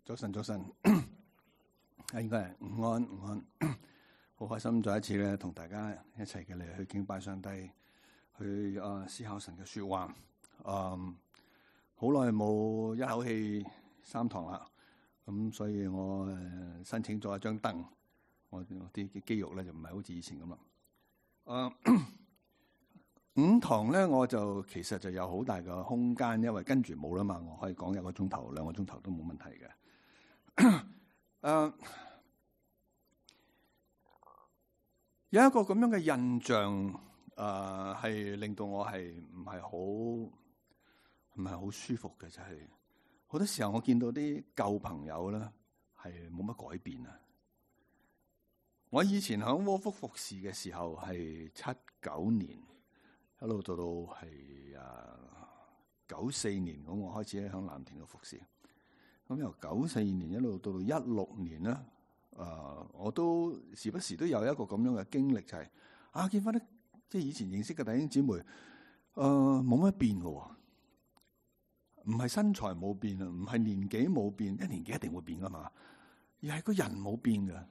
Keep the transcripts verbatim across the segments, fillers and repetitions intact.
早晨，早晨，啊，應該係午安，午安，好開心再一次咧，同大家一齊嘅嚟去敬拜上帝，去啊思考神嘅說話。嗯，好耐冇一口氣三堂啦，咁所以我誒申請咗一張凳，我啲肌肉咧就唔係好似以前咁啦。誒、嗯，五堂咧我就其實就有好大嘅空間，因為跟住冇啦嘛，我可以講一個鐘頭、兩個鐘頭都冇問題嘅。誒、uh, 有一個咁樣嘅印象，誒、uh, 係令到我係唔係好唔係好舒服嘅，就係、是、好多時候我見到啲舊朋友咧係冇乜改變啊！我以前響窩福服侍嘅時候係七九年，一路做到係誒九四年，咁我開始喺響藍田度服侍。咁由九四年一路到到一六年咧，誒、呃，我都時不時都有一個咁樣嘅經歷，就係、是、啊，見翻啲即係以前認識嘅弟兄姊妹，誒、呃，冇乜變嘅，唔係身材冇變啊，唔係年紀冇變，一年紀一定會變噶嘛，而係個人冇變嘅，誒、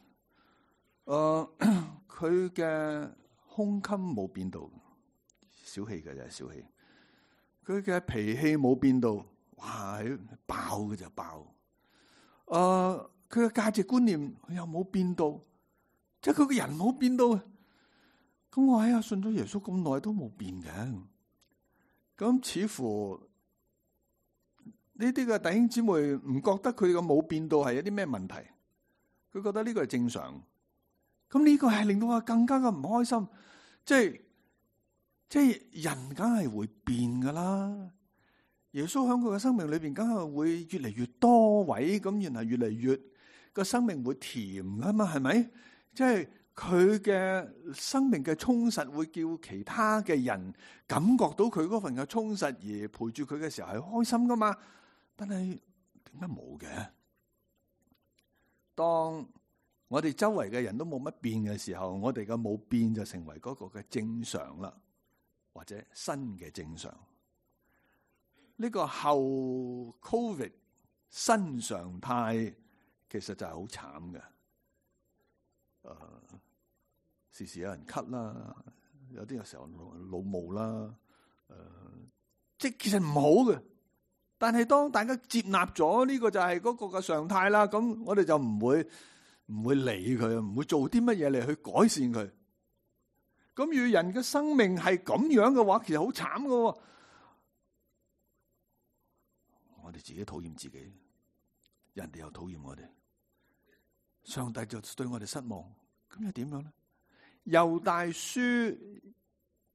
呃，佢嘅胸襟冇變到，小氣嘅就係小氣，佢嘅脾氣冇變到。哇！爆嘅就爆，誒、呃，佢嘅價值觀念佢又冇變到，即係佢個人冇變到。咁我喺啊信咗耶穌咁耐都冇變嘅，咁似乎呢啲嘅弟兄姊妹唔覺得佢嘅冇變到係有啲咩問題，佢覺得呢個係正常。咁呢個係令到我更加嘅唔開心，即係即係人梗係會變噶啦。耶穌喺佢嘅生命裏邊，梗係會越嚟越多位，咁然後越嚟越個生命會甜噶嘛，係咪？即係佢嘅生命嘅充實，會叫其他嘅人感覺到佢嗰份嘅充實，而陪住佢嘅時候係開心噶嘛。但係點解冇嘅？當我哋周圍嘅人都冇乜變嘅時候，我哋嘅冇變就成為嗰個嘅正常啦，或者新嘅正常。呢個後 Covid 新常態其實就係好慘嘅，誒、呃，時時有人咳啦，有啲有時候老毛啦，誒、呃，即係其實唔好嘅。但係當大家接納咗呢個就係嗰個嘅常態啦，咁我哋就唔會唔會理佢，唔會做啲乜嘢嚟去改善佢。咁與人嘅生命係咁樣嘅話，其實好慘㗎。我哋自己討厭自己，人哋又討厭我哋，上帝就對我哋失望，咁又點樣咧？猶大書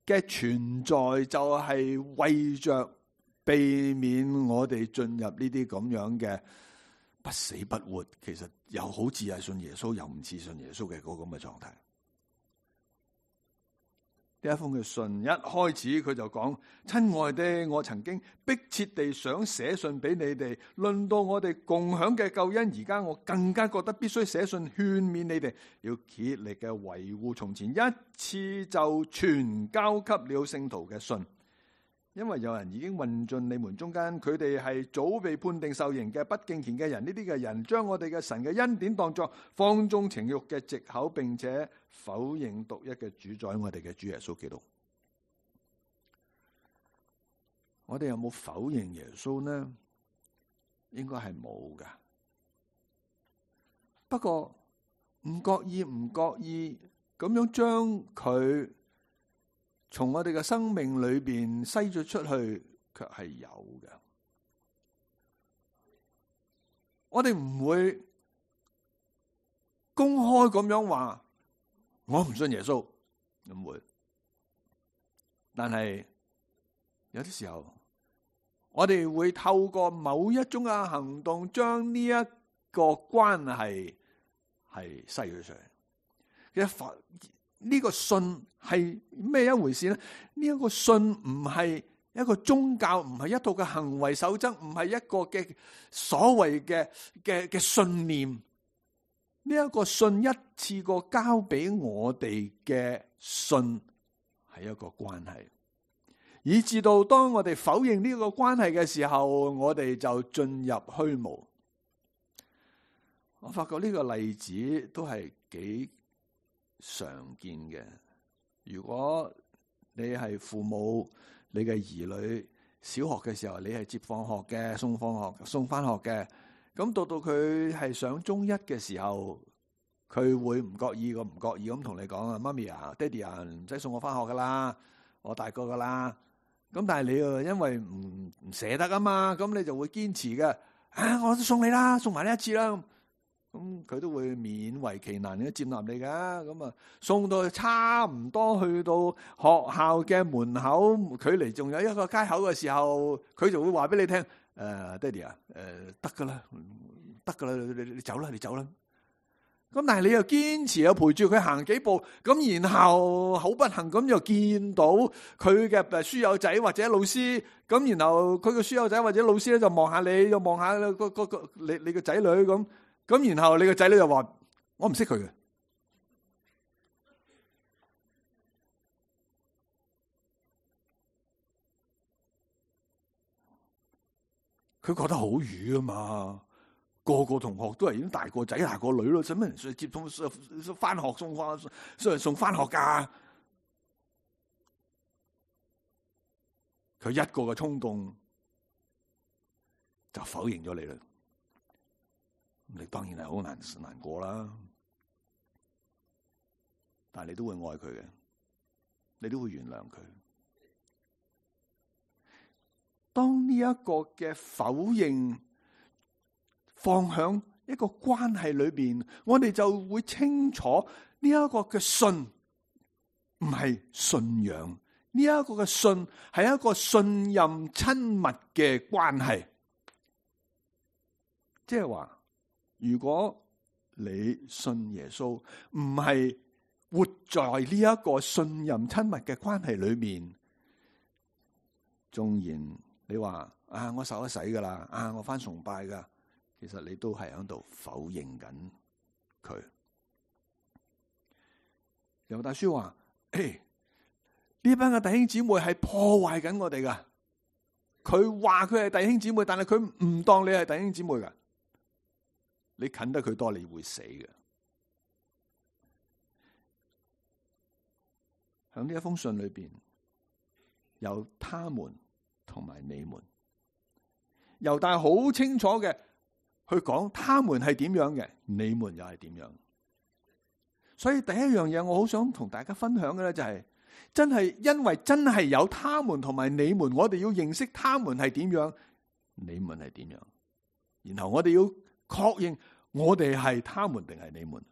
嘅存在就係為着避免我哋進入呢啲咁樣嘅不死不活，其實又好似係信耶穌又唔似信耶穌嘅嗰個咁嘅狀態。呢一封嘅信一開始佢就講：親愛的，我曾經迫切地想寫信俾你哋，論到我哋共享嘅救恩，而家我更加覺得必須寫信勸勉你哋，要竭力嘅維護從前一次就全交給了聖徒嘅信。因為有人已經混進你們中間，佢哋係早被判定受刑嘅不敬虔嘅人，呢啲嘅人將我哋嘅神嘅恩典當作放縱情慾嘅藉口，並且否認獨一嘅主宰我哋嘅主耶穌基督。我哋有冇否認耶穌呢？應該係冇噶。不過唔覺意唔覺意咁樣將佢從我哋嘅生命裏邊篩咗出去，卻係有嘅。我哋唔會公開咁樣話我唔信耶穌，唔會。但係有啲時候，我哋會透過某一種嘅行動，將呢一個關係係篩咗出嚟。其實呢個信係咩一回事咧？呢一個信唔係一個宗教，唔係一套嘅行為守則，唔係一個嘅所謂嘅嘅嘅信念。呢一個信一次過交俾我哋嘅信係一個關係，以至到當我哋否認呢個關係嘅時候，我哋就進入虛無。我發覺呢個例子都係幾常見嘅。如果你係父母，你嘅兒女小學嘅時候，你係接放學嘅，送放學、送翻學嘅，咁到到佢係上中一嘅時候，佢會唔覺意個唔覺意咁同你講啊，媽咪啊，爹哋啊，唔使送我翻學噶啦，我大個噶啦。咁但係你又因為唔唔捨得啊嘛，咁你就會堅持嘅，啊，我都送你啦，送埋呢一次啦。咁佢都會勉為其難咁接納你噶，咁啊送到差唔多去到學校嘅門口，距離仲有一個街口嘅時候，佢就會話俾你聽：誒、呃，爹哋啊，誒，得噶啦，得噶啦，你你走啦，你走啦。咁但係你又堅持又陪住佢行幾步，咁然後好不幸咁又見到佢嘅書友仔或者老師，咁然後佢嘅書友仔或者老師咧就望下你，又望下個個個你你個仔女咁。咁然後你個仔女就話：我唔識佢嘅。佢覺得好瘀啊嘛，個個同學都係已經大個仔大個女咯，使乜人接送翻學送翻送送翻學噶？佢一個嘅衝動就否認咗你啦。你當然係好難難過啦，但係你都會愛佢嘅，你都會原諒佢。當呢一個嘅否認放響一個關係裏邊，我哋就會清楚呢一個嘅信唔係信仰，呢一個嘅信係一個信任親密嘅關係，即係話。如果你信耶穌，唔係活在呢一個信任親密嘅關係裏面，縱然你話啊，我受咗洗噶啦，啊，我返崇拜噶，其實你都係喺度否認緊佢。猶大書話：誒，呢班嘅弟兄姊妹係破壞緊我哋噶。佢話佢係弟兄姊妹，但係佢唔當你係弟兄姊妹噶。你近得佢多，你會死嘅。喺呢一封信裏邊，有他們同埋你們。猶大好清楚嘅去講，他們係點樣嘅，你們又係點樣。所以第一樣嘢，我好想同大家分享嘅咧，就係真係因為真係有他們同埋你們，我哋要認識他們係點樣，你們係點樣，然後我哋要確認我哋係他們定係你們？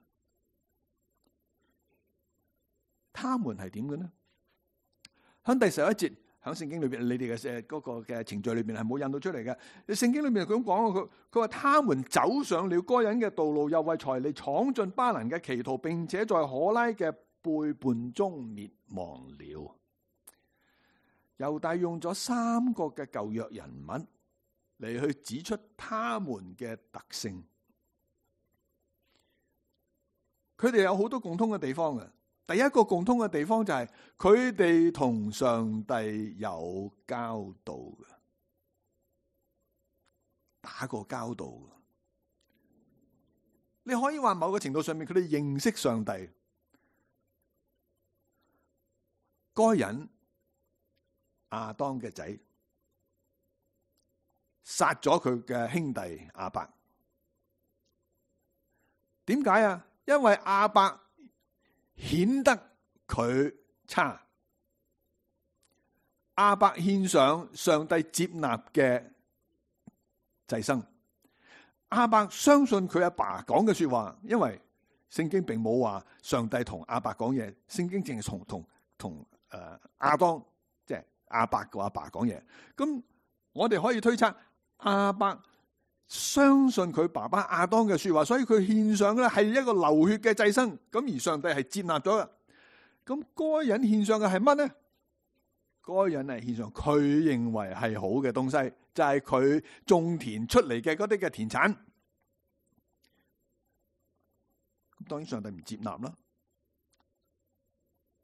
他們係點嘅呢？喺第十一節，喺聖經裏邊，你哋嘅嗰個嘅程序裏邊係冇印到出嚟嘅。聖經裏面佢咁講，佢佢話他們走上了該隱嘅道路，又為財利闖進巴蘭嘅歧途，並且在可拉嘅背叛中滅亡了。猶大用咗三個嘅舊約人物嚟去指出他們嘅特性。佢哋有好多共通嘅地方嘅。第一個共通嘅地方就係佢哋同上帝有交道嘅，打過交道嘅。你可以話某個程度上面，佢哋認識上帝。該隱亞當嘅仔殺咗佢嘅兄弟亞伯，點解啊？因為亞伯顯得佢差，亞伯獻上上帝接納嘅祭牲，亞伯相信佢阿爸講嘅說話，因為聖經並冇話上帝同亞伯講嘢，聖經淨係同同同誒亞當即係亞伯個阿爸講嘢。咁我哋可以推測亞伯相信佢爸爸亞當嘅說話，所以佢獻上嘅係一個流血嘅祭牲，咁而上帝係接納咗嘅。咁該隱獻上嘅係乜呢？該隱係獻上佢認為係好嘅東西，就係佢種田出嚟嘅嗰啲嘅田產。咁當然上帝唔接納啦，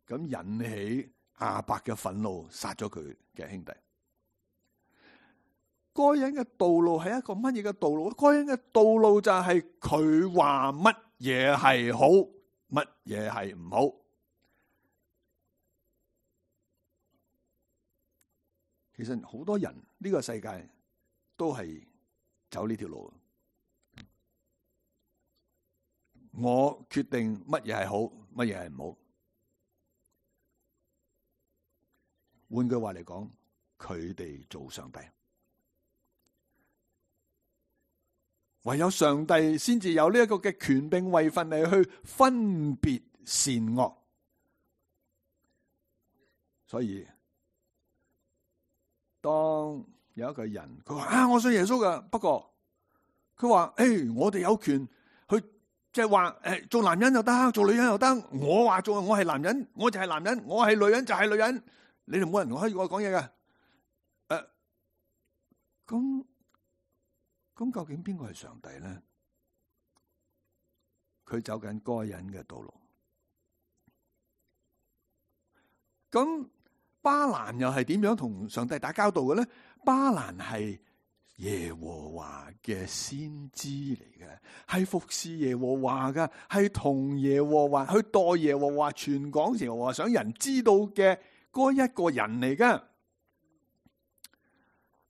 咁引起亞伯嘅憤怒，殺咗佢嘅兄弟。該隱嘅道路係一個乜嘢嘅道路？該隱嘅道路就係佢話乜嘢係好，乜嘢係唔好。其實好多人呢個世界都係走呢條路。我決定乜嘢係好，乜嘢係唔好。換句話嚟講，佢哋做上帝。唯有上帝先至有呢一個嘅權柄位份嚟去分別善惡，所以當有一個人佢話啊，我信耶穌噶，不過佢話誒，我哋有權去即係話誒，做男人又得，做女人又得。我話做我係男人，我就係男人；我係女人就係女人。你哋冇人可以我講嘢噶。誒，咁。咁究竟邊個係上帝咧？佢走緊該隱嘅道路。咁巴蘭又係點樣同上帝打交道嘅咧？巴蘭係耶和華嘅先知嚟嘅，係服侍耶和華嘅，係同耶和華去代耶和華傳講耶和華想人知道嘅嗰一個人嚟嘅。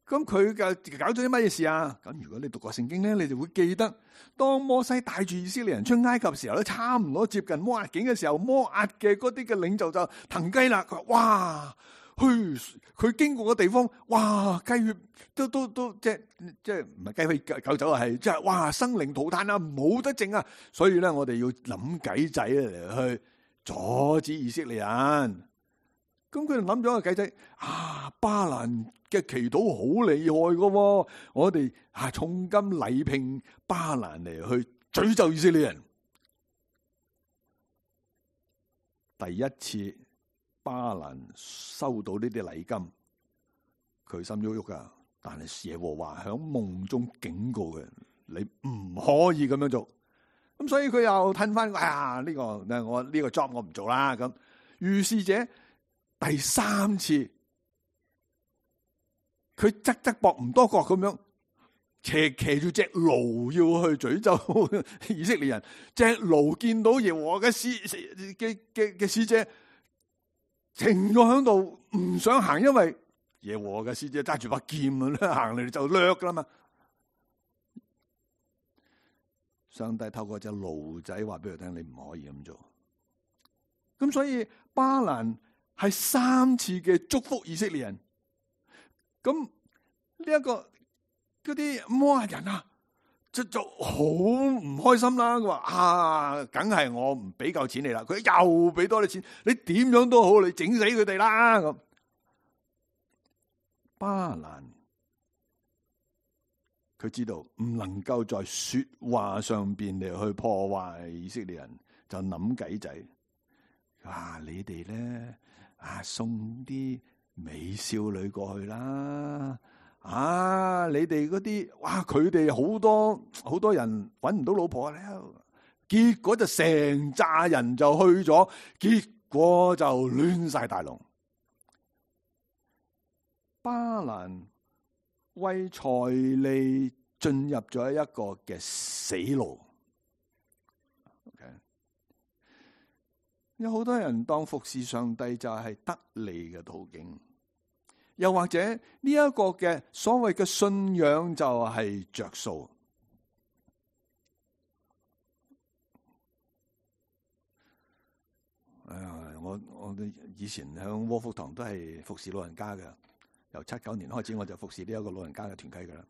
咁佢嘅搞咗啲乜嘢事啊？咁如果你讀過聖經咧，你就會記得，當摩西帶住以色列人出埃及嘅時候咧，差唔多接近摩押境嘅時候，摩押嘅嗰啲嘅領袖就騰雞啦。佢話：哇，去佢經過嘅地方，哇，雞血都都都即係即係唔係雞血狗走啊？係即係哇，生靈塗炭啊，冇得剩啊！所以咧，我哋要諗計仔嚟去阻止以色列人。咁佢哋諗咗個計仔啊，巴蘭嘅祈禱好厲害噶，我哋啊重金禮聘巴蘭嚟去詛咒以色列人。第一次巴蘭收到呢啲禮金，佢心喐喐噶，但係耶和華響夢中警告嘅，你唔可以咁樣做。咁所以佢又褪翻，哎呀呢個我呢個 job 我唔做啦。咁於是者。第三次，佢側側膊唔多覺咁樣，騎騎住隻驢要去詛咒以色列人。隻驢見到耶和華嘅使嘅嘅嘅使者停咗喺度，唔想行，因為耶和華嘅使者揸住把劍啊，行嚟就掠噶啦嘛。上帝透過隻驢仔話俾佢聽，你唔可以咁做。咁所以巴蘭係三次嘅祝福以色列人，咁呢一個嗰啲摩押人啊，就就好唔開心啦。佢話啊，梗係我唔俾夠錢你啦，佢又俾多啲錢，你點樣都好，你整死佢哋啦。咁巴蘭佢知道唔能夠在說話上邊嚟去破壞以色列人，就諗計仔。啊，你哋咧？啊！送啲美少女過去啦！啊！你哋嗰啲哇，佢哋好多好多人搵唔到老婆咧，結果就成扎人就去咗，結果就亂晒大龍。巴蘭為財利進入咗一個嘅死路。有好多人當服侍上帝就係得利嘅途徑，又或者呢一個嘅所謂嘅信仰就係着數。哎呀，我我以前喺窩福堂都係服侍老人家嘅，由七九年開始我就服侍呢一個老人家嘅團契噶啦。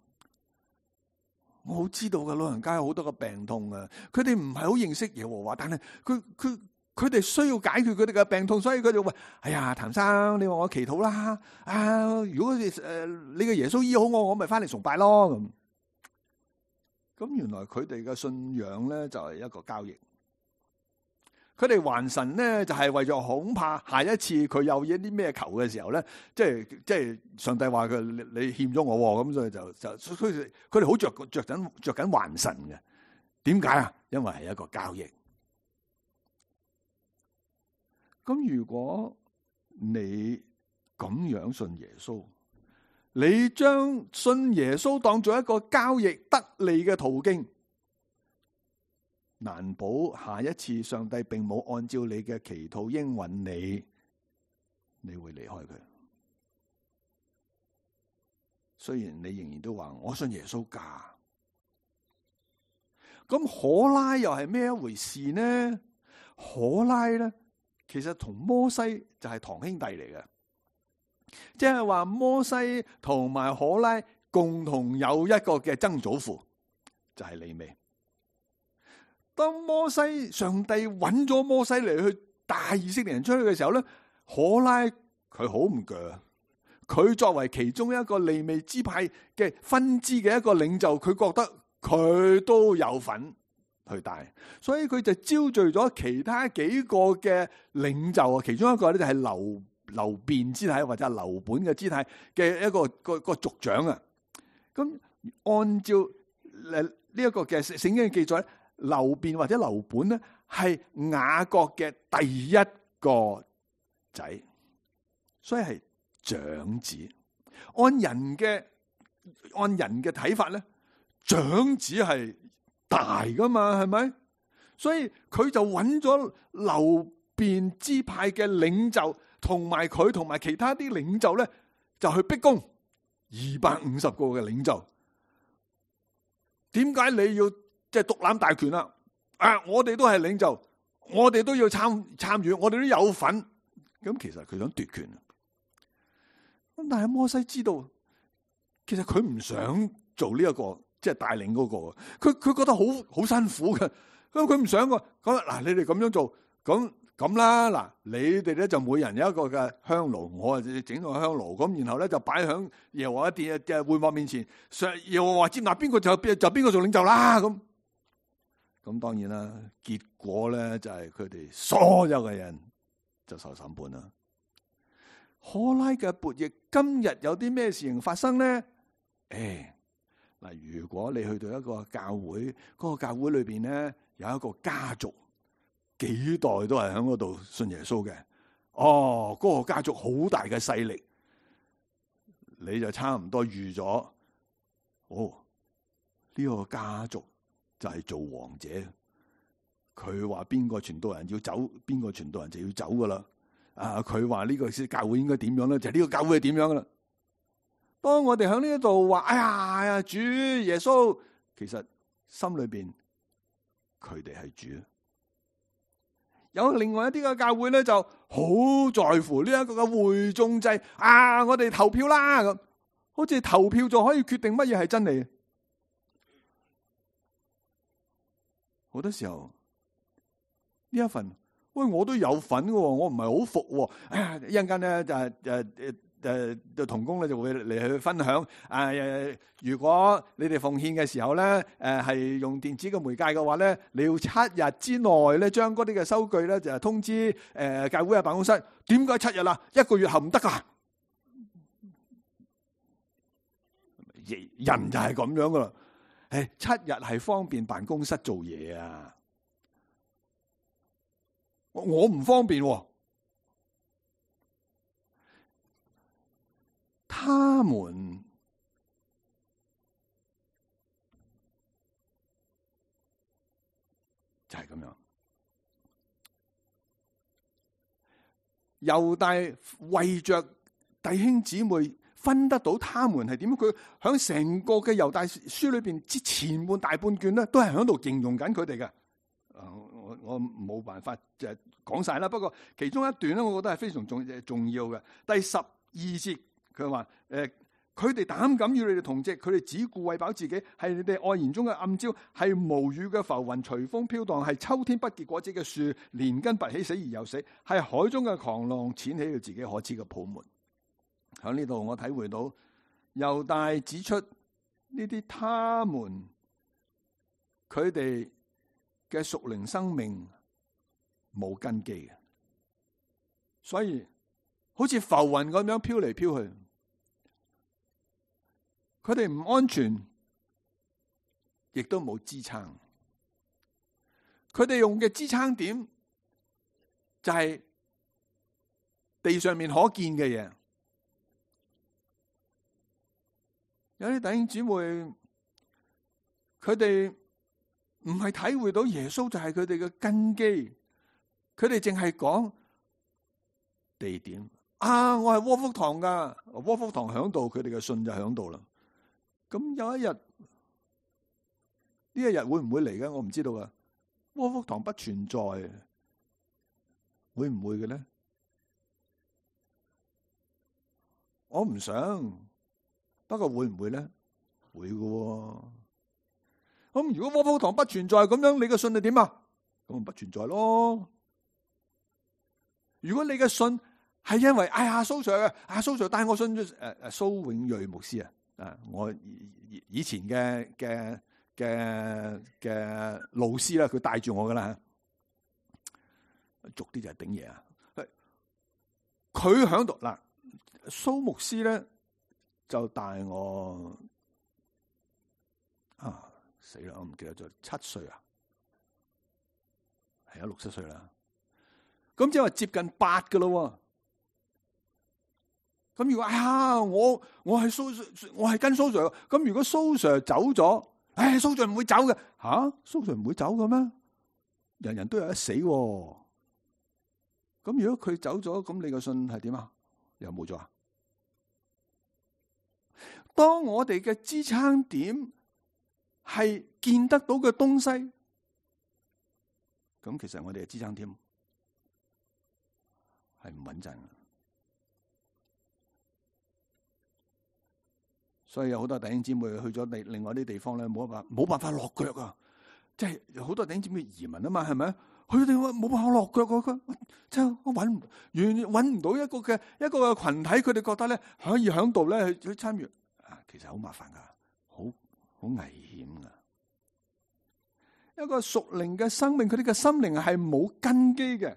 我好知道嘅，老人家有好多個病痛啊，佢哋唔係好認識耶和華，但係佢佢。佢哋需要解決佢哋嘅病痛，所以佢就話：哎呀，譚生，你話我祈禱啦，啊，如果你誒、呃、你嘅耶穌醫好我，我咪翻嚟崇拜咯。咁咁原來佢哋嘅信仰咧就係一個交易。佢哋還神咧就係為咗恐怕下一次佢有一啲咩求嘅時候咧，即係即係上帝話佢你欠咗我，咁所以就就佢哋佢哋好着着緊着緊還神嘅。點解啊？因為係一個交易。咁如果你咁樣信耶穌，你將信耶穌當做一個交易得利嘅途徑，難保下一次上帝並冇按照你嘅祈禱應允你，你會離開佢。雖然你仍然都話我信耶穌㗎，咁可拉又係咩一回事呢？可拉咧，其實同摩西就係堂兄弟嚟嘅，即係話摩西同埋可拉共同有一個嘅曾祖父，就係利未。當摩西上帝揾咗摩西嚟去帶以色列人出去嘅時候咧，可拉佢好唔鋸，佢作為其中一個利未支派嘅分支嘅一個領袖，佢覺得佢都有份去帶，所以佢就招聚咗其他幾個嘅領袖啊，其中一個咧就係流流便支派或者流本嘅支派嘅一個一個一個族長啊。咁按照誒呢一個嘅聖經嘅記載，流便或者流本咧係雅各嘅第一個仔，所以係長子。按人嘅按人嘅睇法咧，長子係大噶嘛，係咪？所以佢就揾咗流便支派嘅領袖，同埋佢同埋其他啲領袖咧，就去逼宮二百五十個嘅領袖。點解你要即係獨攬大權啊？啊，我哋都係領袖，我哋都要參參與，我哋都有份。咁其實佢想奪權。咁但係摩西知道，其實佢唔想做呢、這、一個。即係帶領嗰個，佢佢覺得好好辛苦嘅，咁佢唔想個，咁嗱你哋咁樣做，咁咁啦，嗱你哋咧就每人有一個嘅香爐，我啊整個香爐，咁然後咧就擺響耶和華殿嘅會幕面前，上耶和華接納邊個就邊就邊個做領袖啦，咁咁當然啦，結果咧就係佢哋所有嘅人就受審判啦。可拉嘅悖逆，今日有啲咩事情發生咧？誒。嗱，如果你去到一個教會，嗰個教會裏邊咧有一個家族，幾代都係喺嗰度信耶穌嘅，哦，嗰個家族好大嘅勢力，你就差唔多預咗，哦，呢個家族就係做王者，佢話邊個傳道人要走，邊個傳道人就要走噶啦，啊，佢話呢個教會應該點樣咧，就係呢個教會係點樣噶啦。當我哋喺呢一度話，哎呀，哎呀，主耶穌，其實心裏邊佢哋係主。有另外一啲嘅教會咧，就好在乎呢一個嘅會眾制啊！我哋投票啦，咁好似投票就可以決定乜嘢係真理。好多時候呢一份，喂，我都有份嘅，我唔係好服。哎呀，一陣間咧就係誒誒。誒，同工咧就會嚟去分享。誒、呃，如果你哋奉獻嘅時候咧，誒、呃、係用電子嘅媒介嘅話咧，你要七日之內咧將嗰啲嘅收據咧就通知誒、呃、教會嘅辦公室。點解七日啊？一個月後唔得噶？人就係咁樣噶啦。誒，七日係方便辦公室做嘢啊。我唔方便、啊。他們就係咁樣，猶大為着弟兄姊妹分得到他們係點樣，佢響成個嘅猶大書裏邊之前半大半卷咧，都係響度形容緊佢哋嘅。我我冇辦法就係講晒啦，不過其中一段咧，我覺得係非常重重要嘅。第十二節。佢話：誒，佢哋膽敢與你哋同席，佢哋只顧餵飽自己，係你哋愛言中嘅暗礁，係無雨嘅浮雲，隨風飄蕩，係秋天不結果子嘅樹，連根拔起死而又死，係海中嘅狂浪，濺起佢自己可恥嘅泡沫。喺呢度我體會到，猶大指出呢啲他們佢哋嘅屬靈生命冇根基嘅，所以好似浮雲咁樣飄嚟飄去。佢哋唔安全，亦都冇支撐。佢哋用嘅支撐點就係地上面可見嘅嘢。有啲弟兄姊妹，佢哋唔係體會到耶穌就係佢哋嘅根基，佢哋淨係講地點啊！我係窩福堂噶，窩福堂響度，佢哋嘅信就響度啦。咁有一日呢一日會唔會嚟嘅？我唔知道啊。窩福堂不存在，會唔會嘅咧？我唔想，不過會唔會咧？會嘅。咁如果窩福堂不存在，咁樣你嘅信係點啊？咁咪不存在咯。如果你嘅信係因為哎呀蘇 Sir 嘅，阿蘇 Sir 帶我信誒誒蘇永瑞牧師啊，啊我以前嘅嘅嘅嘅老師啦，佢帶住我噶啦，俗啲就係頂嘢啊。佢響度嗱，蘇牧師咧就帶我啊死啦，我唔記得咗七歲啊，係啊六七歲啦。咁即係話接近八噶咯。咁如果哎呀，我我係蘇我係跟蘇 Sir，咁如果蘇 Sir 走咗，唉，蘇 Sir 唔會走嘅吓，蘇 Sir 唔會走嘅咩？人人都有得死。咁如果佢走咗，咁你個信係點啊？又冇咗啊？當我哋嘅支撐點係見得到嘅東西，咁其實我哋嘅支撐點係唔穩陣嘅。所以有好多弟兄姊妹去咗另另外啲地方咧，冇辦法冇辦法落腳啊！即係有好多弟兄姊妹移民啊嘛，係咪？去到地方冇辦法落腳啊！即係我揾唔完揾唔到一個嘅一個嘅群體，佢哋覺得咧可以喺度咧去去參與啊，其實好麻煩噶，好好危險噶。一個屬靈嘅生命，佢哋嘅心靈係冇根基嘅，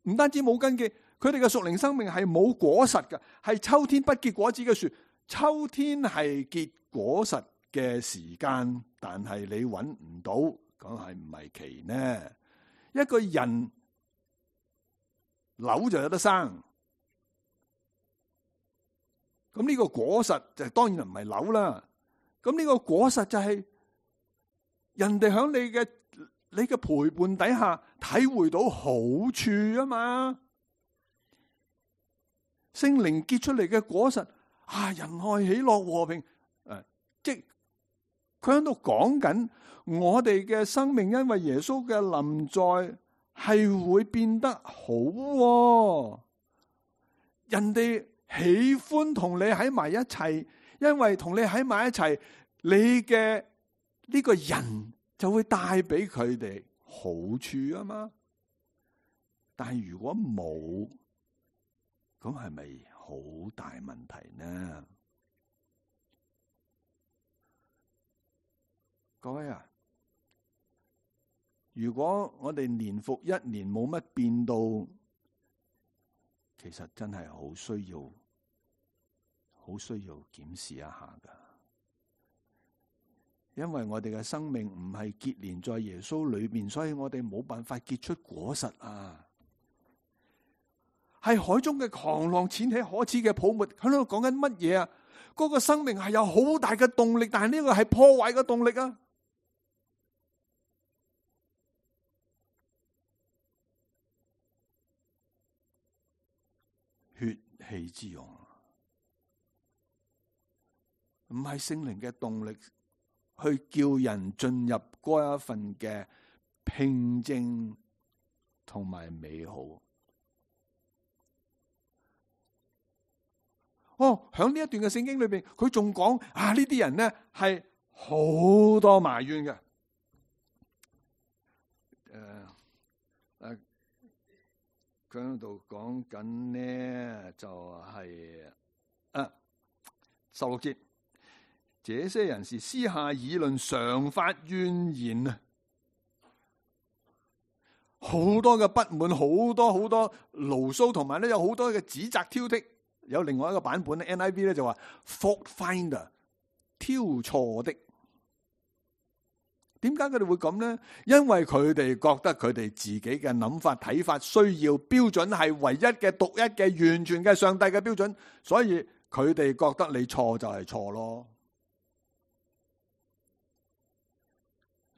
唔單止冇根基，佢哋嘅屬靈生命係冇果實嘅，係秋天不結果子嘅樹。秋天係結果實嘅時間，但係你揾唔到，咁係唔係奇呢？一個人柳就有得生，咁呢個果實就當然唔係柳啦。咁呢個果實就係人哋喺你嘅你嘅陪伴底下體會到好處啊嘛。聖靈結出嚟嘅果實啊，仁愛、喜樂、和平，誒，即係佢喺度講緊我哋嘅生命，因為耶穌嘅臨在係會變得好喎。人哋喜歡同你喺埋一齊，因為同你喺埋一齊，你嘅呢個人就會帶俾佢哋好處啊嘛。但係如果冇，咁係咪好大問題呢？各位啊，如果我哋年復一年冇乜變到，其實真係好需要，好需要檢視一下噶。因為我哋嘅生命唔係結連在耶穌裏面，所以我哋冇辦法結出果實啊。係海中嘅狂浪，濺起可恥嘅泡沫，喺度講緊乜嘢啊？嗰個生命係有好大嘅動力，但係呢個係破壞嘅動力啊！血氣之勇，唔係聖靈嘅動力，去叫人進入嗰一份嘅平靜同埋美好。哦，喺呢一段嘅聖經裏邊，佢仲講啊，呢啲人咧係好多埋怨嘅。誒誒，佢喺度講緊咧，就係啊十六節，這些人是私下議論，常發怨言啊，好多嘅不滿，好多好多牢騷，同埋咧有好多嘅指責挑剔。有另外一個版本咧 ，N I V 咧就話 fault finder， 挑錯的。點解佢哋會咁咧？因為佢哋覺得佢哋自己嘅諗法、睇法、需要標準係唯一嘅、獨一嘅、完全嘅上帝嘅標準，所以佢哋覺得你錯就係錯咯。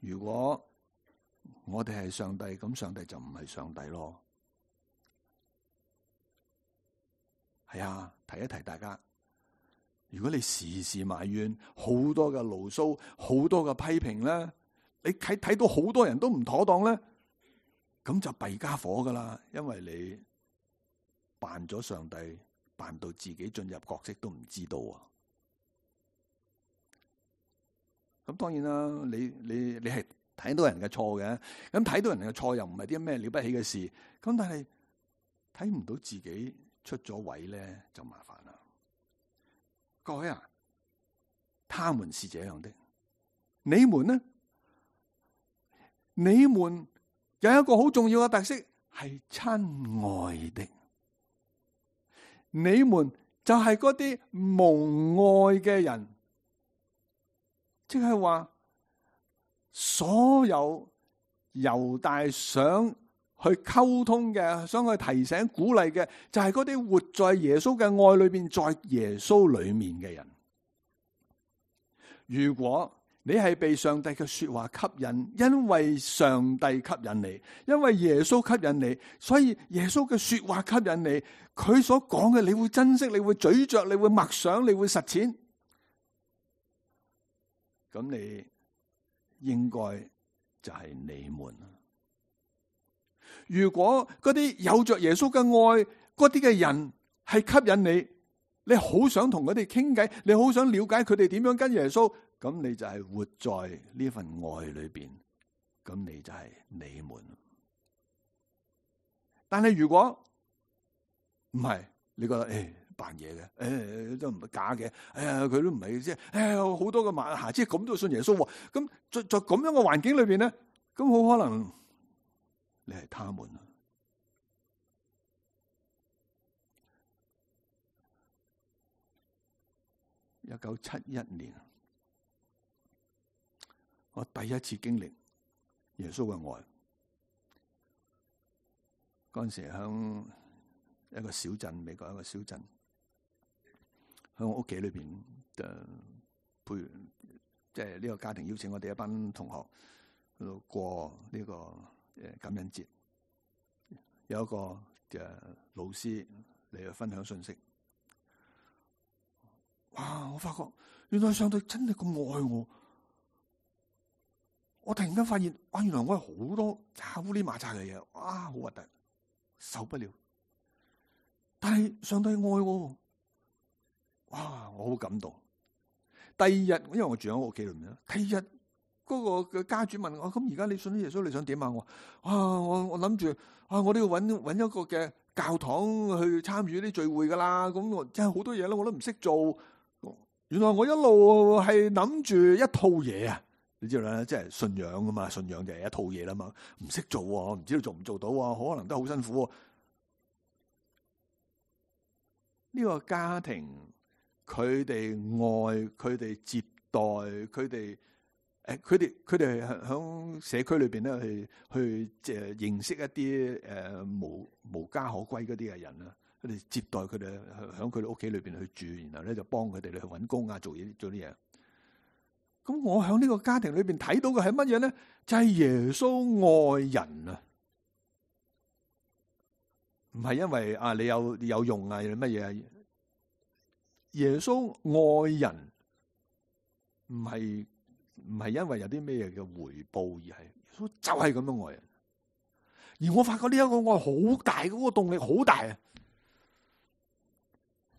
如果我哋係上帝，咁上帝就唔係上帝咯。係啊，提一提大家，如果你時時埋怨，好多嘅牢騷，好多嘅批評咧，你睇睇到好多人都唔妥當咧，咁就弊家伙噶啦，因為你扮咗上帝，扮到自己進入角色都唔知道啊。咁當然啦，你你你係睇到人嘅錯嘅，咁睇到人嘅錯又唔係啲咩了不起嘅事，咁但係睇唔到自己出咗位咧，就麻煩啦。各位啊，他們是這樣的，你們呢？你們有一個好重要嘅特色，係親愛的。你們就係嗰啲蒙愛嘅人，即係話所有猶大想去溝通嘅，想去提醒鼓勵嘅，就係嗰啲活在耶穌嘅愛裏邊，在耶穌裏面嘅人。如果你係被上帝嘅說話吸引，因為上帝吸引你，因為耶穌吸引你，所以耶穌嘅說話吸引你，佢所講嘅你會珍惜，你會咀嚼，你會默想，你會實踐，咁你應該就係你們。如果嗰啲有着耶穌嘅愛嗰啲嘅人係吸引你，你好想同佢哋傾偈，你好想了解佢哋點樣跟耶穌，咁你就係活在呢份愛裏邊，咁你就係你們。但係如果唔係，你覺得誒扮嘢嘅，誒都唔係假嘅，哎呀佢都唔係即係，哎呀好多嘅馬下即係咁都信耶穌，咁在在咁樣嘅環境裏邊咧，咁好可能你係他們。一九七一年，我第一次經歷耶穌嘅愛。嗰陣時喺一個小鎮，美國一個小鎮，喺我屋企裏邊誒陪，即係呢個家庭邀請我哋一班同學去度過呢個誒感恩節。有一個嘅老師嚟去分享信息。哇！我發覺原來上帝真係咁愛我，我突然間發現，哇！原來我係好多烏哩麻雜嘅嘢，哇！好核突，受不了。但係上帝愛我，哇！我好感動。第二日，因為我住喺我屋企裏面啦，第二日嗰個嘅家主問我：咁而家你信咗耶穌，你想點啊？我啊，我我諗住啊，我都要揾揾一個嘅教堂去參與啲聚會噶啦。咁我真係好多嘢啦，我都唔識做。原來我一路係諗住一套嘢啊，你知道啦，即係信仰噶嘛，信仰就係一套嘢啦嘛，唔識做，唔知道做唔做到，可能都好辛苦。呢個家庭，佢哋愛，佢哋接待，佢哋誒，佢哋佢哋響社區裏邊咧，去去即係認識一啲誒無無家可歸嗰啲嘅人啦。佢哋接待佢哋喺佢哋屋企裏邊去住，然後咧就幫佢哋去搵工啊，做嘢做啲嘢。咁我喺呢個家庭裏邊睇到嘅係乜嘢咧？就係耶穌愛人啊，唔係因為啊你有有用啊，乜嘢啊？耶穌愛人唔係唔係因為有啲咩嘅回報，而係耶穌就係咁樣愛人。而我發覺呢一個愛好大，嗰個動力好大啊！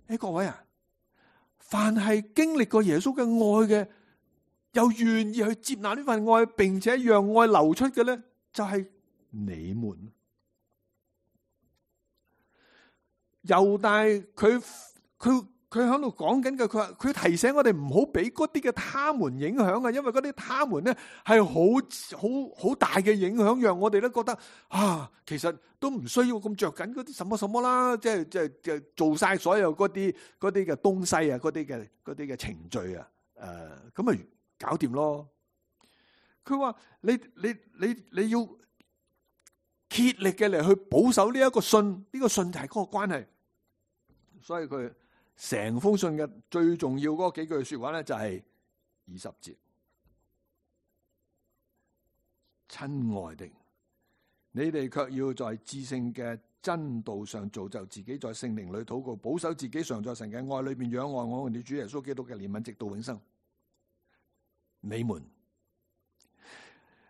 誒，各位啊，凡係經歷過耶穌嘅愛嘅，又願意去接納呢份愛，並且讓愛流出嘅咧，就係你們。猶大佢佢佢喺度講緊嘅，佢話佢提醒我哋唔好俾嗰啲嘅他們影響啊，因為嗰啲他們咧係好好好大嘅影響，讓我哋咧覺得啊，其實都唔需要咁着緊嗰啲什麼什麼啦，即係即係即係做晒所有嗰啲嗰啲嘅東西啊，嗰啲嘅嗰啲嘅程序啊，誒咁咪搞掂咯。佢話你你你你要竭力嘅嚟去保守呢一個信，呢個信就係嗰個關係，所以佢成封信嘅最重要嗰幾句說話咧，就係二十節。親愛的，你哋卻要在至聖嘅真道上造就自己，在聖靈裏禱告，保守自己常在神嘅愛裏面仰望我哋主耶穌基督嘅憐憫，直到永生。你們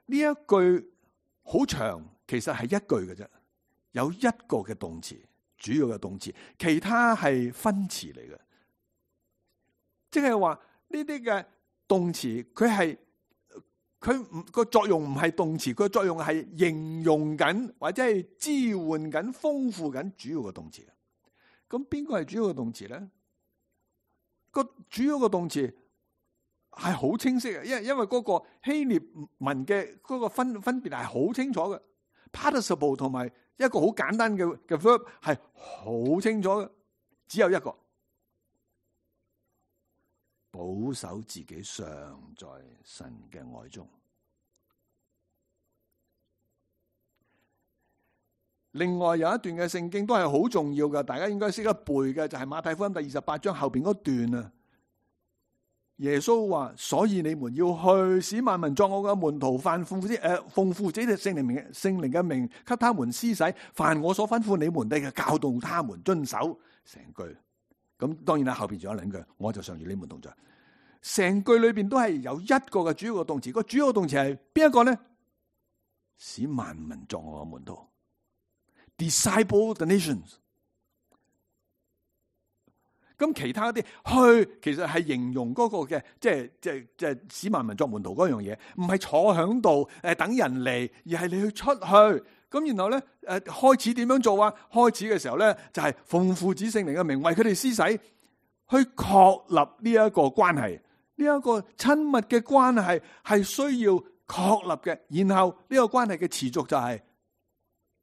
呢一句好長，其實係一句嘅啫，有一個嘅動詞，主要嘅動詞，其他係分詞嚟嘅。即係話呢啲嘅動詞，佢係佢唔個作用唔係動詞，佢個作用係形容緊或者係支援緊、豐富緊主要嘅動詞。咁邊個係主要嘅動詞咧？個主要嘅動詞係好清晰嘅，因為因為嗰個希臘文嘅嗰個分分別係好清楚嘅。participle 同埋一個好簡單嘅嘅 verb 係好清楚嘅，只有一個，保守自己常在神嘅愛中。另外有一段嘅聖經都係好重要嘅，大家應該識得背嘅，就係馬太福音第二十八章後邊嗰段啊。耶穌話：所以你們要去，使萬民作我嘅門徒，凡奉父誒奉父子聖靈名聖靈嘅名，給他們施洗，凡我所吩咐你們的，教導他們遵守。成句咁，當然啦，後邊仲有兩句，我就常與你們同在。成句裏邊都係有一個嘅主要嘅動詞，個主要嘅動詞係邊一個咧？使萬民作我嘅門徒 ，disciple the nations。咁其他啲去，其實係形容嗰個嘅，即係即係即係使萬民作門徒嗰樣嘢，唔係坐響度誒等人嚟，而係你去出去。咁然後咧誒開始點樣做啊？開始嘅時候咧就係奉父子聖靈嘅名為佢哋施洗，去確立呢一個關係，呢一個親密嘅關係係需要確立嘅。然後呢個關係嘅持續就係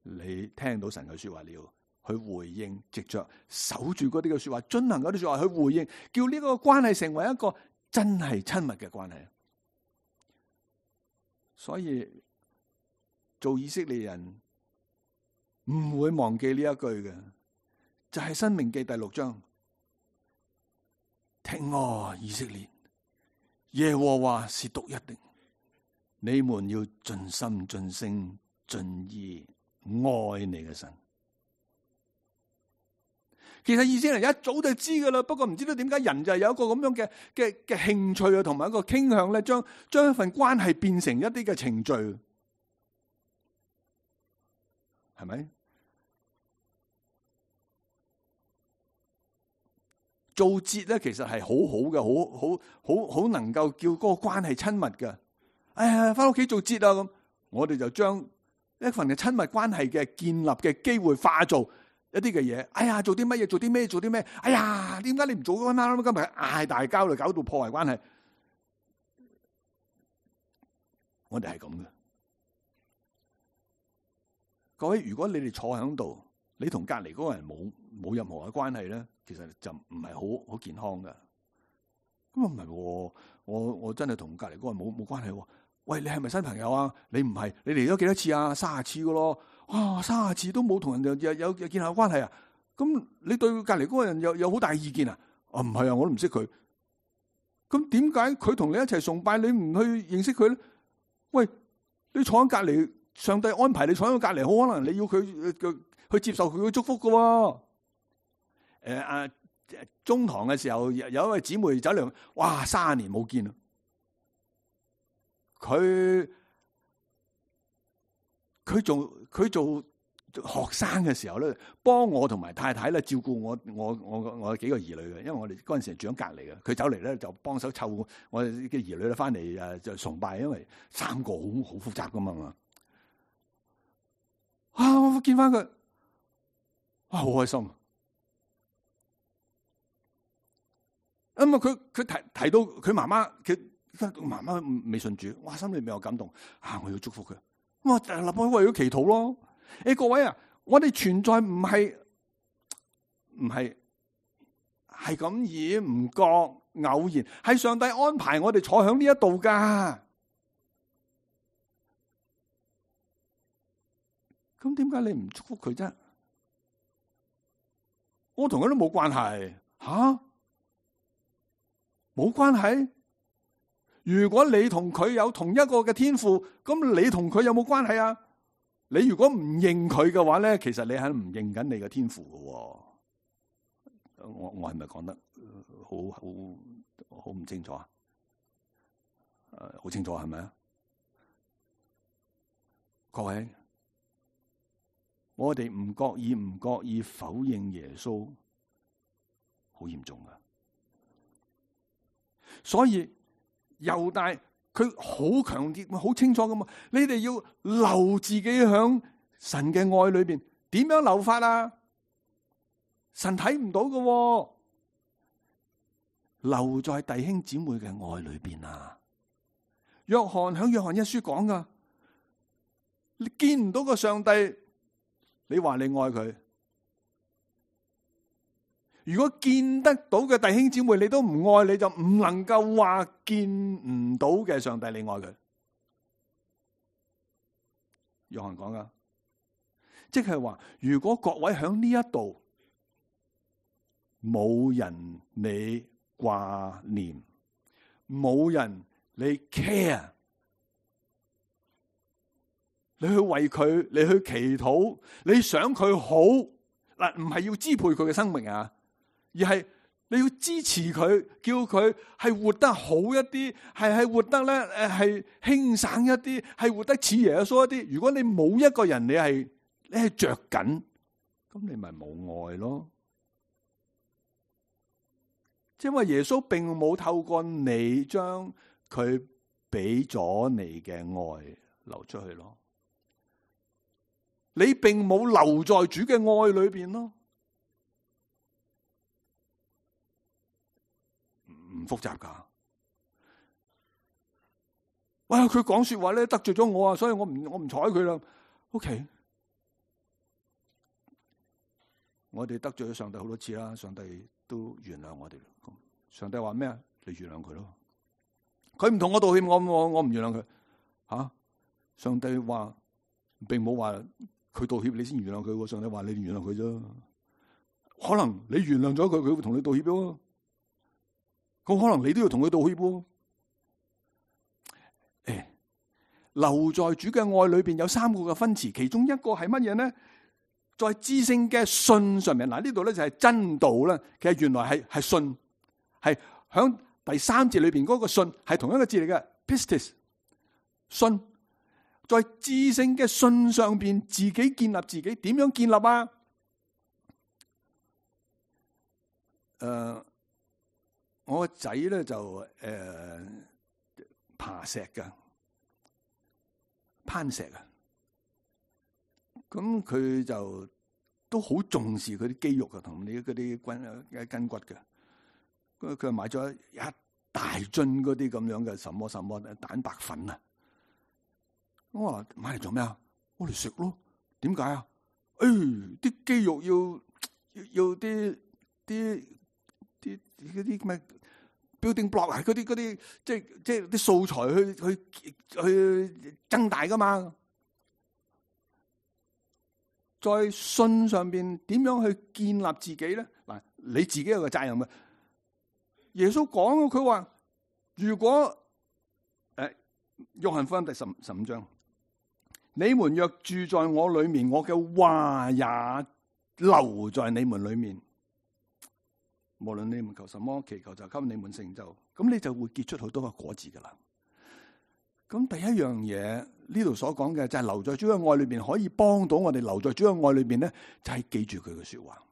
你聽到神嘅說話了。去回應，藉着守住嗰啲嘅說話，遵行嗰啲說話去回應，叫呢個關係成為一個真係親密嘅關係。所以做以色列人唔會忘記呢一句嘅，就係、是《申命記》第六章：聽我以色列，耶和華是獨一的，你們要盡心、盡性、盡意愛你嘅神。其實以色列人一早就知噶啦，不過唔知道點解人就係有一個咁樣嘅嘅嘅興趣啊，同埋一個傾向咧，將將一份關係變成一啲嘅程序，係咪？做節咧，其實係好好嘅，好好好好能夠叫嗰個關係親密嘅。哎呀，翻屋企做節啊咁，我哋就將一份嘅親密關係嘅建立嘅機會化做一啲嘅嘢，哎呀，做啲乜嘢？做啲咩？做啲咩？哎呀，點解你唔做嗰啱？今日嗌大交嚟，搞到破壞關係。我哋係咁嘅，各位，如果你哋坐喺度，你同隔籬嗰個人冇冇任何嘅關係咧，其實就唔係好好健康噶。咁啊唔係，我我真係同隔籬嗰個人冇冇關係。喂，你係咪新朋友啊？你唔係，你嚟咗幾多次啊？三十次噶咯。哇，三十次都冇同人有有有建立關係啊？咁你對隔籬嗰個人有有好大意見啊？啊，唔係啊，我都唔識佢。咁點解佢同你一齊崇拜，你唔去認識佢咧？喂，你坐喺隔籬，上帝安排你坐喺隔籬，好可能你要佢去接受佢嘅祝福噶。誒、呃、啊，中堂嘅時候有一位姊妹走嚟，哇，三十年冇見啦。佢佢做佢做學生嘅時候咧，幫我同埋太太咧照顧我我我我幾個兒女嘅，因為我哋嗰陣時住喺隔籬嘅，佢走嚟咧就幫手湊我哋嘅兒女咧翻嚟誒就崇拜，因為三個好好複雜噶嘛。啊，我見翻佢，哇，好開心。咁啊，佢佢提提到佢媽媽佢。媽媽未信主，哇，心裏面有感動啊！我要祝福佢，我立我為咗祈禱咯。誒，各位啊，我哋存在唔係唔係係咁意唔覺偶然，係上帝安排我哋坐響呢一度噶。咁點解你唔祝福佢啫？我同佢都冇關係，吓，冇關係。如果你同佢有同一個嘅天父，咁你同佢有冇關係啊？你如果唔認佢嘅話咧，其實你係唔認緊你嘅天父嘅。我我係咪講得好好好唔清楚啊？誒，好清楚係咪啊？各位，我哋唔覺意唔覺意否認耶穌，好嚴重噶。所以猶大佢好強烈、好清楚㗎嘛，你哋要留自己響神嘅愛裏邊，點樣留法啊？神睇唔到㗎，留在弟兄姊妹嘅愛裏邊啊！約翰響約翰一書講噶，你見唔到個上帝，你話你愛佢；如果見得到嘅弟兄姊妹你都唔愛，你就唔能夠話見唔到嘅上帝你愛佢。約翰講噶，即係話如果各位響呢一度冇人你掛念，冇人你 care， 你去為佢，你去祈禱，你想佢好嗱，唔係要支配佢嘅生命啊，而係你要支持佢，叫佢係活得好一啲，係係活得咧誒係輕省一啲，係活得似耶穌一啲。如果你冇一個人，你係你係着緊，咁你咪冇愛咯。因為耶穌並冇透過你將佢俾咗你嘅愛流出去咯，你並冇留在主嘅愛裏邊咯，唔複雜噶。哇，佢講說話咧得罪咗我啊，所以我唔我唔睬佢啦。OK， 我哋得罪咗上帝好多次啦，上帝都原諒我哋。上帝話咩啊？你原諒佢咯。佢唔同我道歉，我我我唔原諒佢。吓、啊，上帝話並冇話佢道歉你先原諒佢。上帝話你原諒佢啫。可能你原諒咗佢，佢會同你道歉咯。咁可能你都要同佢道歉喎。誒，留在主嘅愛裏邊有三個嘅分詞，其中一個係乜嘢呢？在至聖嘅信上面，嗱呢度咧就係真道啦。其實原來係係信。係響第三節裏邊嗰個信係同一個字嚟嘅 pistis 信，在至聖嘅信上邊自己建立自己，點樣建立啊？誒、呃，我個仔咧就誒、呃、爬石㗎，攀石啊，咁佢就都好重視佢啲肌肉啊，同你嗰啲筋筋骨嘅。佢佢買咗一大樽嗰啲咁樣嘅什麼什麼蛋白粉啊！我話買嚟做咩啊？我嚟食咯。點解啊？誒、哎，啲肌肉要要要啲啲啲嗰啲咩 building block 啊？嗰啲嗰啲即係即係啲素材去去去增大噶嘛？在信上邊點樣去建立自己咧？嗱，你自己有個責任嘅。耶穌講佢話，如果誒約翰福音第十十五章，你們若住在我裏面，我嘅話也留在你們裏面，無論你們求什麼，祈求就給你們成就，咁你就會結出好多個果子噶啦。咁第一樣嘢呢度所講嘅就係留在主嘅愛裏邊，可以幫到我哋留在主嘅愛裏邊咧，就係、是、記住佢嘅說話。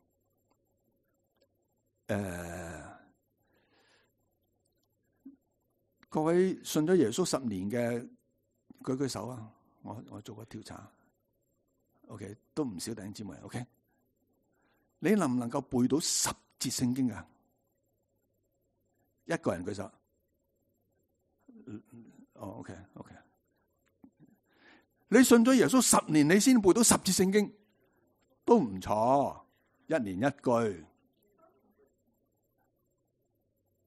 誒、呃。各位信咗耶穌十年嘅舉舉手啊！我我做個調查 ，OK 都唔少弟兄姊妹 ，OK 你能唔能夠背到十節聖經啊？一個人舉手，哦 OK OK， 你信咗耶穌十年，你先背到十節聖經都唔錯，一年一句。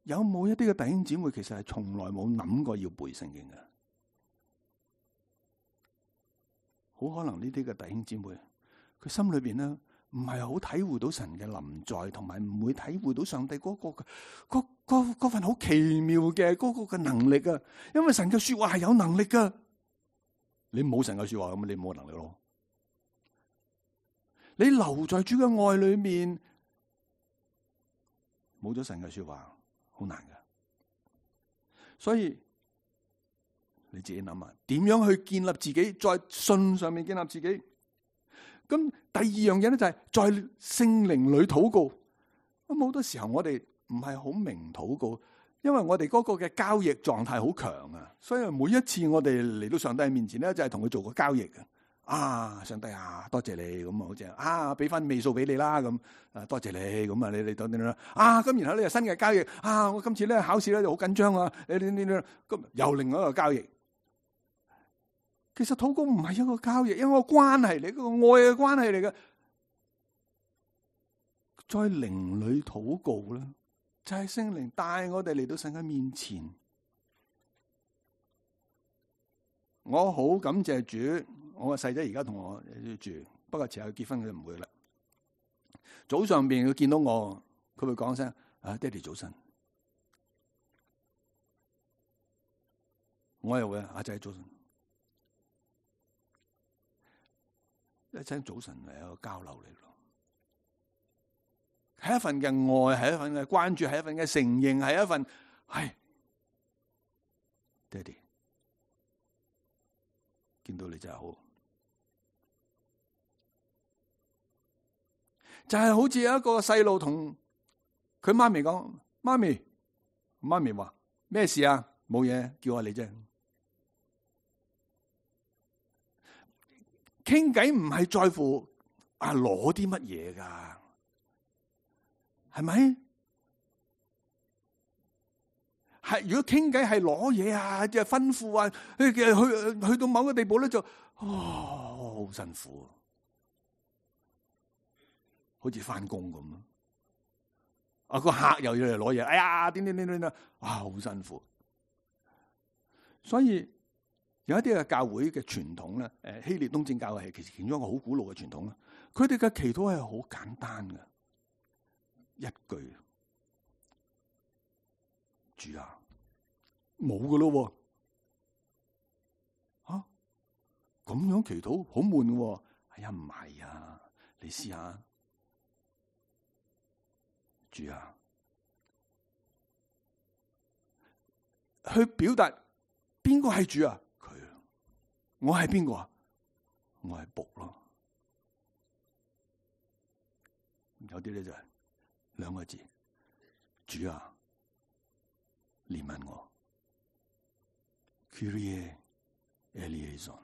有冇一啲嘅弟兄姊妹其實係從來冇諗過要背聖經嘅？好可能呢啲嘅弟兄姊妹，佢心裏邊咧唔係好體會到神嘅臨在，同埋唔會體會到上帝嗰、嗰個嗰嗰嗰份好奇妙嘅嗰個嘅能力啊！因為神嘅說話係有能力噶，你冇神嘅說話咁，你冇能力咯。你留在主嘅愛裏面，冇咗神嘅說話，好難噶。所以你自己諗下，點樣去建立自己，在信上面建立自己。咁第二樣嘢咧就係在聖靈裏禱告。咁好多時候我哋唔係好明禱告，因為我哋嗰個嘅交易狀態好強啊，所以每一次我哋嚟到上帝面前咧，就係同佢做個交易嘅。啊，上帝啊，多謝你咁啊，好似啊，俾翻尾數俾你啦咁啊，多謝你咁啊，你你等等啦啊，咁然後呢又新嘅交易啊，我今次咧考試咧就好緊張啊，你你你咁又另外一個交易。其實禱告唔係一個交易，因為個關係嚟，個愛嘅關係嚟嘅。在靈裏禱告咧，就係聖靈帶我哋嚟到神嘅面前。我好感謝主，我個細仔而家同我住，不過遲下結婚佢就唔會啦。早上邊佢見到我，佢會講聲啊，爹哋早晨。我又會阿仔早晨。一聲早晨係一個交流嚟咯，係一份嘅愛，係一份嘅關注，係一份嘅承認，係一份係爹哋見到你真係好，就係好似有一個細路同佢媽咪講：媽咪，媽咪話咩事啊？冇嘢，叫下你啫。傾偈唔係在乎啊攞啲乜嘢噶，係咪？係如果傾偈係攞嘢啊，即係吩咐啊，去去去到某個地步咧就哦好辛苦，好似翻工咁咯。啊個客又要嚟攞嘢，哎呀點點點點啊，哇好辛苦。所以。有一啲嘅教會嘅傳統咧，誒希臘東正教係其實其中一個好古老嘅傳統啦。佢哋嘅祈禱係好簡單嘅，一句主啊，冇噶咯，吓咁樣祈禱好悶嘅。哎呀唔係啊，你試下主啊，去表達邊個係主啊？我係邊個啊？我係僕咯。有啲咧就係兩個字，主啊，憐憫我。Kyrie eleison，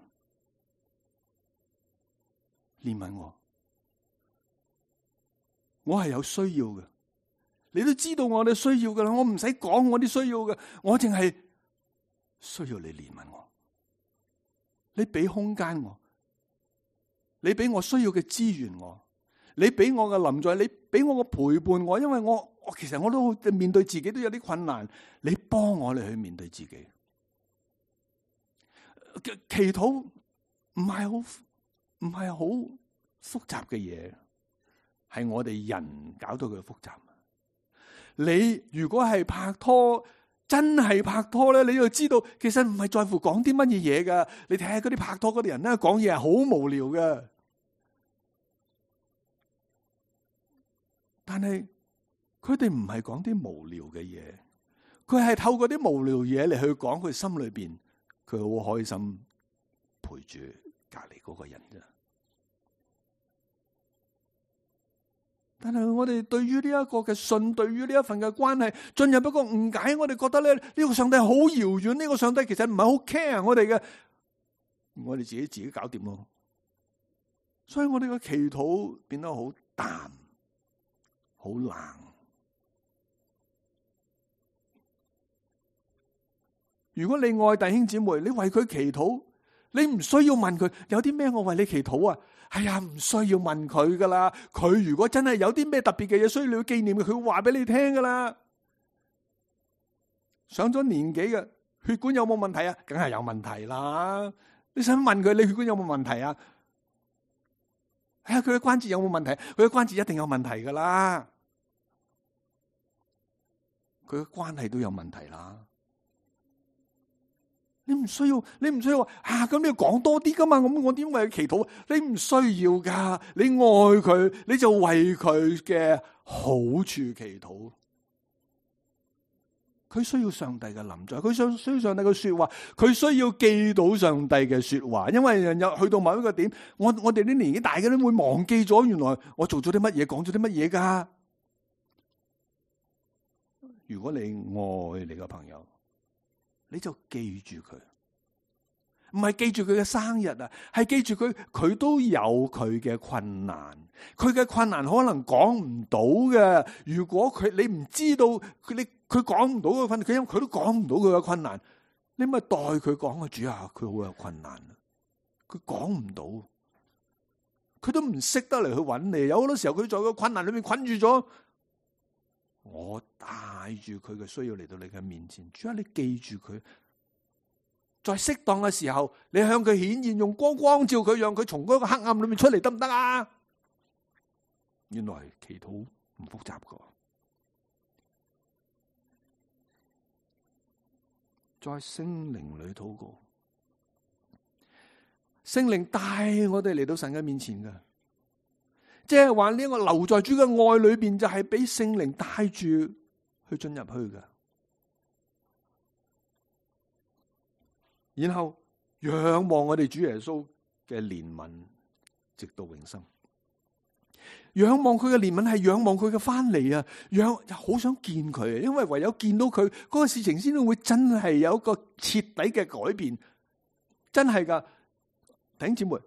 憐憫我。我係有需要嘅，你都知道我哋需要噶啦。我唔使講我啲需要嘅，我淨係需要你憐憫我。你俾空間我，你俾我需要嘅資源我，你俾我嘅臨在，你俾我嘅陪伴我，因為我我其實我都面對自己都有啲困難，你幫我嚟去面對自己。祈禱唔係好唔係好複雜嘅嘢，係我哋人搞到佢複雜。你如果係拍拖，真係拍拖咧，你要知道，其實唔係在乎講啲乜嘢嘢噶。你睇下嗰啲拍拖嗰啲人咧，講嘢係好無聊嘅。但係佢哋唔係講啲無聊嘅嘢，佢係透過啲無聊嘢嚟去講佢心裏邊，佢好開心陪住隔籬嗰個人啫。但係我哋對於呢一個嘅信，對於呢一份嘅關係，進入一個誤解，我哋覺得咧呢個上帝好遙遠，呢個上帝其實唔係好 care 我哋嘅，我哋自己自己搞掂咯。所以我哋嘅祈禱變得好淡，好冷。如果你愛弟兄姊妹，你為佢祈禱，你唔需要問佢有啲咩我為你祈禱啊。係啊，唔需要問佢噶啦。佢如果真係有啲咩特別嘅嘢需要你紀念嘅，佢會話俾你聽噶啦。上咗年紀嘅血管有冇問題啊？梗係有問題啦。你想問佢你血管有冇問題啊？哎呀，佢嘅關節有冇問題？佢嘅關節一定有問題噶啦，佢嘅關係都有問題啦。你唔需要，你唔需要話啊！咁你要講多啲噶嘛？咁我點為佢祈禱？你唔需要噶，你愛佢，你就為佢嘅好處祈禱。佢需要上帝嘅臨在，佢想需要上帝嘅說話，佢需要記到上帝嘅說話。因為人有去到某一個點，我我哋啲年紀大嘅都會忘記咗，原來我做咗啲乜嘢，講咗啲乜嘢噶。如果你愛你嘅朋友，你就記住佢，唔係記住佢嘅生日啊，係記住佢，佢都有佢嘅困難，佢嘅困難可能講唔到嘅。如果佢你唔知道佢，你佢講唔到嘅困難，佢因為佢都講唔到佢嘅困難，你咪代佢講啊！主啊，佢好有困難，佢講唔到，佢都唔識得嚟去揾你。有好多時候佢在個困難裏面困住咗，我帶住佢嘅需要嚟到你嘅面前，主啊，你記住佢，在適當嘅時候，你向佢顯現，用光光照佢，讓佢從嗰個黑暗裏面出嚟，得唔得啊？原來祈禱唔複雜噶，在聖靈裏禱告，聖靈帶我哋嚟到神嘅面前噶。即係話呢個留在主嘅愛裏邊，就係俾聖靈帶住去進入去嘅，然後仰望我哋主耶穌嘅憐憫，直到永生。仰望佢嘅憐憫係仰望佢嘅翻嚟啊！仰好想見佢啊，因為唯有見到佢，嗰個事情先會真係有一個徹底嘅改變，真係噶，弟兄姊妹。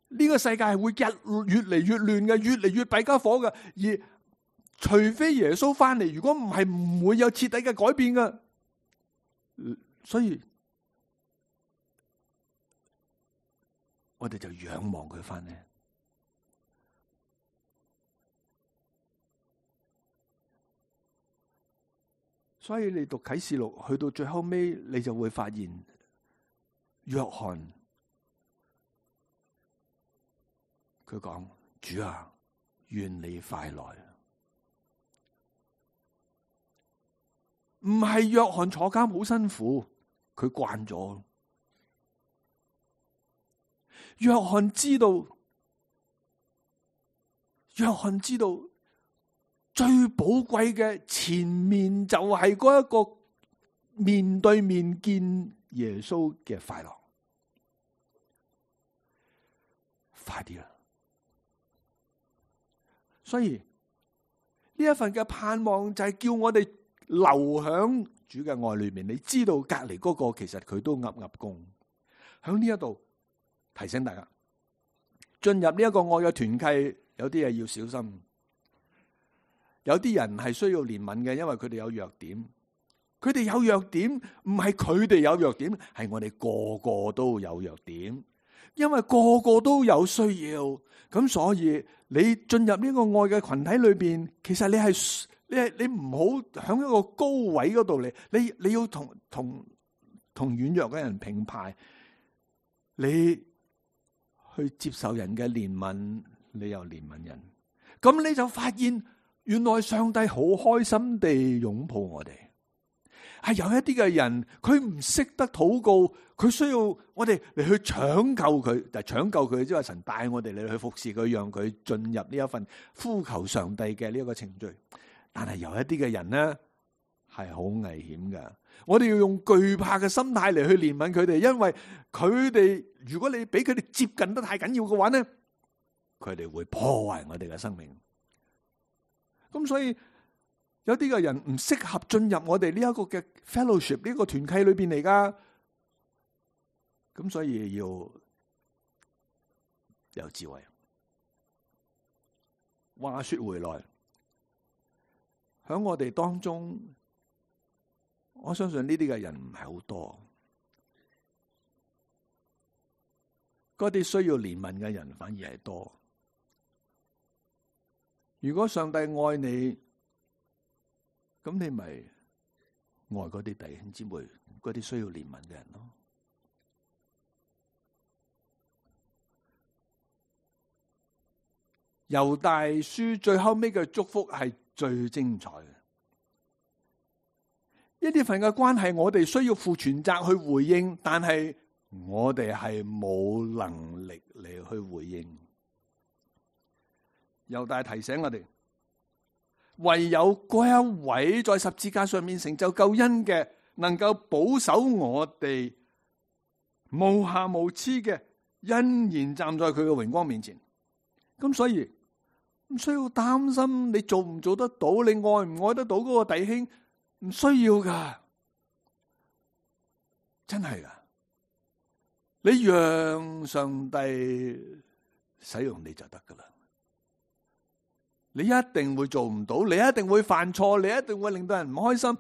呢個世界係會日越嚟越亂嘅，越嚟越弊家伙嘅。而除非耶穌翻嚟，如果唔係，唔會有徹底嘅改變嘅。所以我哋就仰望佢翻嚟。所以你讀啟示錄去到最後尾，你就會發現約翰。佢講：主啊，願你快來。唔係約翰坐監好辛苦，佢慣咗。約翰知道，約翰知道最寶貴嘅前面就係嗰一個面對面見耶穌嘅快樂。快啲啦！所以呢一份嘅盼望就係叫我哋留響主嘅愛裏面。你知道隔籬嗰個其實佢都噏噏功。響呢一度提醒大家，進入呢一個愛嘅團契，有啲嘢要小心。有啲人係需要憐憫嘅，因為佢哋有弱點。佢哋有弱點，唔係佢哋有弱點，係我哋個個都有弱點。因為個個都有需要，咁所以你進入呢個愛嘅群體裏邊，其實你係你係你唔好響一個高位嗰度嚟，你你要同同同軟弱嘅人平排，你去接受人嘅憐憫，你又憐憫人，咁你就發現原來上帝好開心地擁抱我哋。係有一啲嘅人，佢唔識得禱告，佢需要我哋嚟去搶救佢，就搶救佢，即係神帶我哋嚟去服侍佢，讓佢進入呢一份呼求上帝嘅呢一個程序。但係有一啲嘅人咧，係好危險噶。我哋要用懼怕嘅心態嚟去憐憫佢哋，因為佢哋如果你俾佢哋接近得太緊要嘅話咧，佢哋會破壞我哋嘅生命。咁所以。有啲嘅人唔適合進入我哋呢一個嘅 fellowship 呢個團契裏邊嚟噶，咁所以要有智慧。話說回來，喺我哋當中，我相信呢啲嘅人唔係好多，嗰啲需要憐憫嘅人反而係多。如果上帝愛你，咁你咪愛嗰啲弟兄姊妹，嗰啲需要憐憫嘅人咯。猶大書最後尾嘅祝福係最精彩嘅。呢啲份嘅關係，我哋需要負全責去回應，但係我哋係冇能力嚟去回應。猶大提醒我哋，唯有嗰一位在十字架上面成就救恩嘅，能夠保守我哋無瑕無疵嘅欣然站在佢嘅榮光面前。咁所以唔需要擔心你做唔做得到，你愛唔愛得到嗰個弟兄。唔需要噶，真係噶。你讓上帝使用你就得噶啦。你一定會做唔到，你一定會犯錯，你一定會令到人唔開心。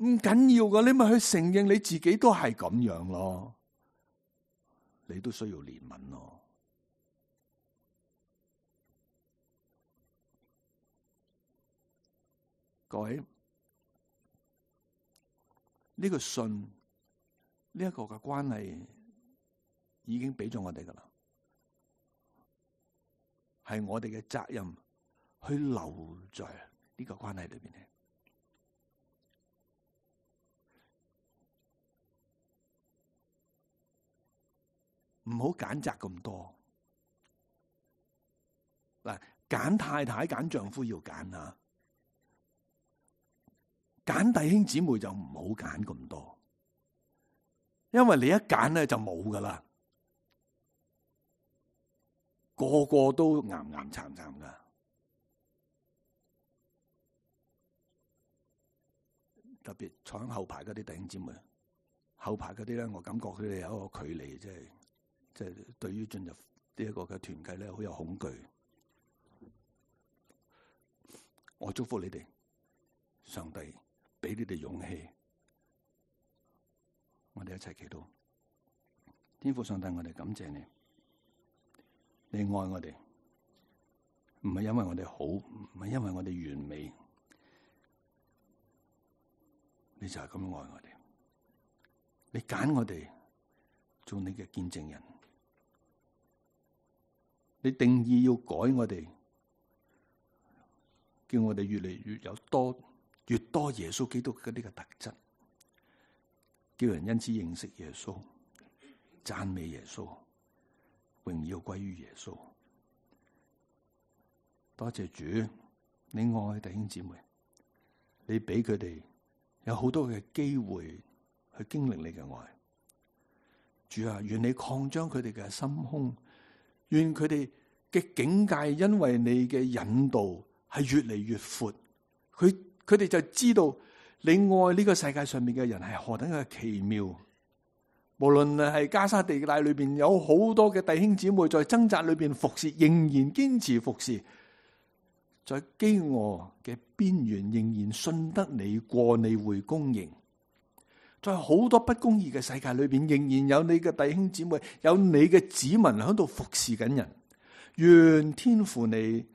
唔緊要噶，你咪去承認你自己都係咁樣咯。你都需要憐憫咯。各位。呢個信，呢一個嘅關係已經俾咗我哋噶啦，係我哋嘅責任去留在呢個關係裏邊嘅，唔好揀擇咁多。嗱，揀太太、揀丈夫要揀啊。揀弟兄姊妹就唔好揀咁多，因為你一揀咧就冇噶啦，個個都岩岩巉巉噶。特別坐喺後排嗰啲弟兄姊妹，後排嗰啲咧，我感覺佢哋有一個距離，即係即係對於進入呢一個嘅團契咧，好有恐懼。我祝福你哋，上帝俾你哋勇氣，我哋一齊祈禱。天父上帝，我哋感謝你，你愛我哋，唔係因為我哋好，唔係因為我哋完美，你就係咁愛我哋。你揀我哋做你嘅見證人，你定義要改我哋，叫我哋越嚟越有多。越多耶穌基督嘅呢個特質，叫人因此認識耶穌，讚美耶穌，榮耀歸於耶穌。多謝主，你愛弟兄姊妹，你俾佢哋有好多嘅機會去經歷你嘅愛。主啊，願你擴張佢哋嘅心胸，願佢哋嘅境界因為你嘅引導係越嚟越闊，佢。佢哋就知道你愛呢個世界上面嘅人係何等嘅奇妙。無論係加沙地帶裏邊有好多嘅弟兄姊妹在掙扎裏邊服侍，仍然堅持服侍；在飢餓嘅邊緣，仍然信得你過你會供應。在好多不公義嘅世界裏邊，仍然有你嘅弟兄姊妹，有你嘅子民喺度服侍緊人。願天父你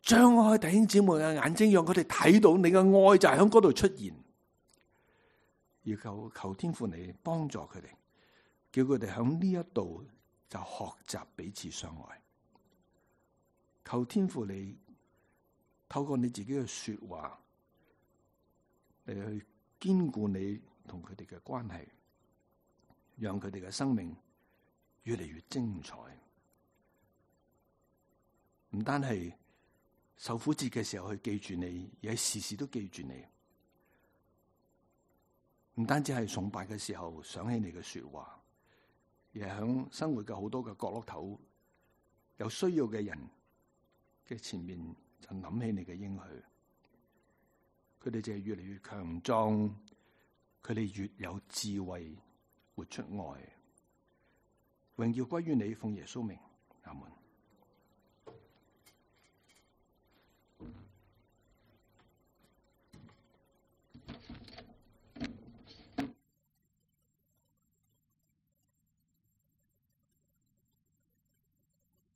張開弟兄姊妹嘅眼睛，讓佢哋睇到你嘅愛就係喺嗰度出現，而求求天父你幫助佢哋，叫佢哋喺呢一度就學習彼此相愛。求天父你透過你自己嘅說話嚟去堅固你同佢哋嘅關係，讓佢哋嘅生命越嚟越精彩。唔單係受苦節嘅時候去記住你，而係時時都記住你。唔單止係崇拜嘅時候想起你嘅說話，而係響生活嘅好多嘅角落頭，有需要嘅人嘅前面就諗起你嘅應許。佢哋就係越嚟越強壯，佢哋越有智慧，活出愛。榮耀歸於你，奉耶穌名，阿門。